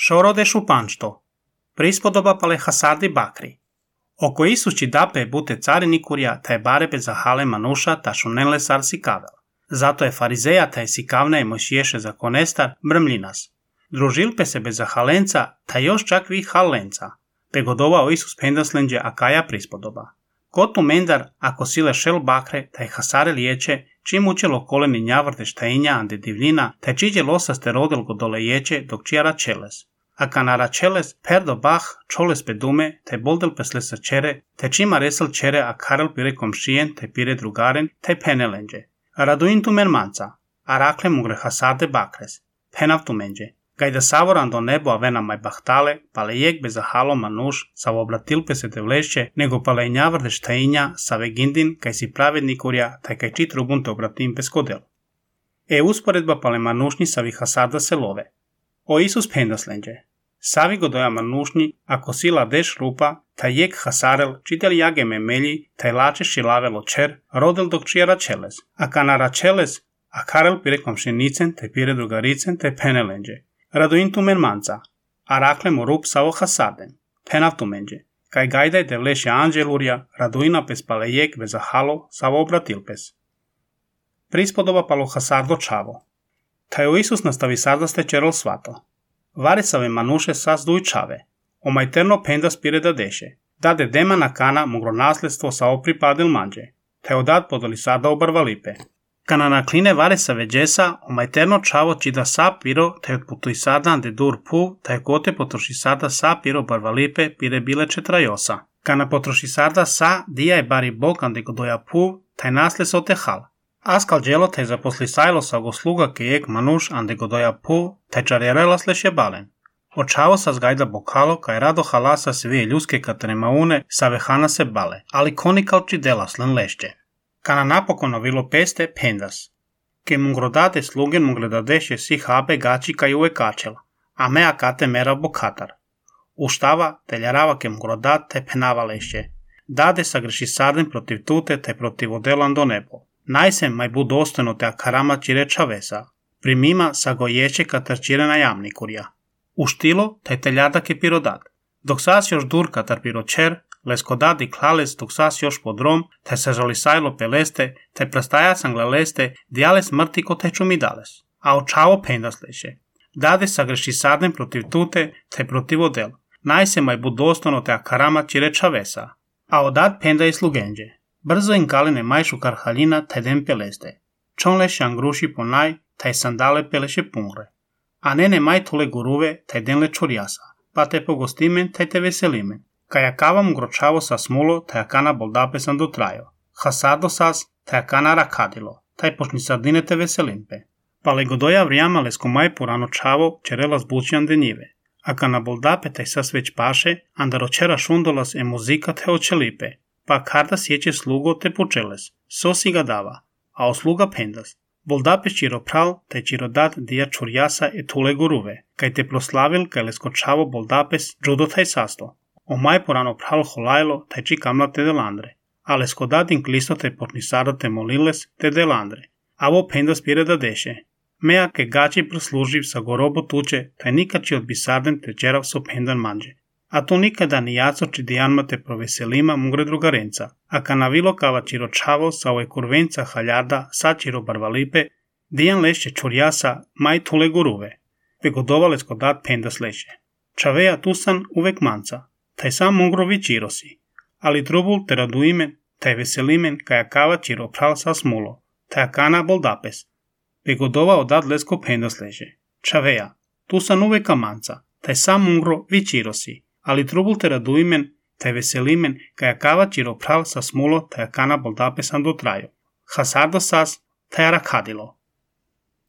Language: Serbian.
Shorode Shupanšto, prispodoba pale hasardi bakri. Oko Isući dape bute carinikurja, taj barebe za hale manuša ta šunenle sar sikavel. Zato je farizeja taj sikavne i mojšiješe za konestar brmljinas. Družilpe se bez halenca, ta još čak vi halenca. Pegodovao Isus pendaslenđe akaja prispodoba. Kotu mendar, ako sile šel bakre, taj hasare liječe, čim učelo koleni njavrte štajinja ande divljina, taj čiđe losa ste rodil go dole ječe, dok čijara čeles. A kanara čeles, perdo bah, čoles pedume, taj boldel pesle sa čere, taj čima resel čere, a karel pire komšijen, taj pire drugaren, taj penelenđe. Raduin tu mermanca, a rakle mugre hasade bakres, penav tu menđe. Gajda savoran do nebo a vena maj bahtale, pale jek bez halo manuš, sa obratilpe se te vlešće, nego pale njavrde štajinja, sa vegindin, kaj si pravednikurja, taj kaj čit rubun te obratim bez kodel. Usporedba pale manušnji sa hasada se love. O Isus pendaslenđe. Savi godoja manušnji, ako sila deš rupa, taj jek hasarel, čitel jage memelji, taj lače šilavelo čer, rodel dok čijara čeles, a kanara čeles, a karel pire komšinicen, taj pire drugaricen, taj penelenđe. Raduin tu mermanca, a rakle mu rup savo hasarden, penav tu menđe. Kaj gajdaj te vleše anđelurja, raduina pes pale jek bez halo, savo obratilpes. Prispodoba palo hasardo čavo. Taj o Isus nastavi sardaste čerol svato. Varesave manuše sas duj čave. Omajterno pendas pire da deše. Dade dema na kana mugro nasledstvo sa opripadil manđe. Taj odad podali sada obarvalipe. Kana nakline varesave džesa, omajterno čavo čida sa piro, taj otputuj sada ande dur puv, taj kote potroši sada sa piro barvalipe pire bile četrajosa. Kana potroši sada sa dija je bari bok ande godoja puv, taj nasles otehal. Askal dželo taj zaposli sajlo sa go sluga kejek manuš ande godoja puv, taj čarjerela sleše balen. Očavo sa zgajda bokalo, kaj rado halasa svije ljuske katremaune sa vehana se bale, ali konikal čidela slen lešće. Kana napokon ovilo peste pendas. Ke mungrodate slugen mungleda deše si habe gači kaj uve kačela, a mea kate mera bokatar. Uštava te ljarava ke mungrodat te penava lešće. Dade sa greši sarden protiv tute te protiv odelan do nebo. Najsem maj bu dostojno te akarama čire čavesa. Primima sa gojeće katar čire na jamnikurja. Uštilo te teljada ke pirodat. Dok sas još dur katar piročer, leskodad i klales dok sas još podrom, te se žalisajlo peleste, te prastaja sanglaleste, dijales mrtiko te čumidales. A očavo pendas leše. Dade sa greši sarden protiv tute te protiv odel. Najse maj bu dostojno te akarama čire čavesa. A odad penda i slugenđe. Brzo in kaline majšu karhaljina taj den peleste. Čonle šangruši ponaj, taj sandale peleše pungre. A nene maj tole guruve, taj den le čurjasa. Pa te pogostimen, taj te veselimen. Kaj akavam gročavo sa smulo, taj akana boldape sam dotrajo. Hasardo sas, taj akana rakadilo. Taj počni sardine te veselimpe. Pa le godoja vrijama lesko maj porano čavo, čerela zbučijan denjive. Akana boldape taj sas već paše, andaročera šundolas e muzika te očelipe. Pa karda sjeće slugo te pučeles, sosi ga dava, a osluga pendas. Boldape čiro pral, taj čiro dat dija čurjasa e tule guruve, kaj te proslavil kaj leskočavo boldapes džudo taj sasto. O maj porano pral holajlo, taj či kamla te delandre, a leskodad inklisto te pornisada te moliles te delandre. Avo pendas pire da deše. Mea ke gači prosluživ sa gorobo tuče, taj nikači od bisarden te čerav so pendan manđe. A to nikada ni jaco či dijanma te proveselima mugre drugarenca, a kanavilo kava čiro čavo sa ove kurvenca haljada sa čiro barvalipe, dijan lešće čurjasa maj tule guruve, pegodova leskodat pendas leše. Čaveja tusan uvek manca, taj sam mugrovi čirosi, ali trubul te raduimen, taj veselimen kaja kava čiro pral sa smulo, taj akana boldapes, pegodova odad lesko pendas leše. Čaveja, tusan uveka manca, taj sam mungro vi čirosi, ali trubul te raduimen, taj veselimen, kaj akava čiro pral sa smulo, taj akana boldape sam dotrajo. Hasardo sas, taj rakadilo.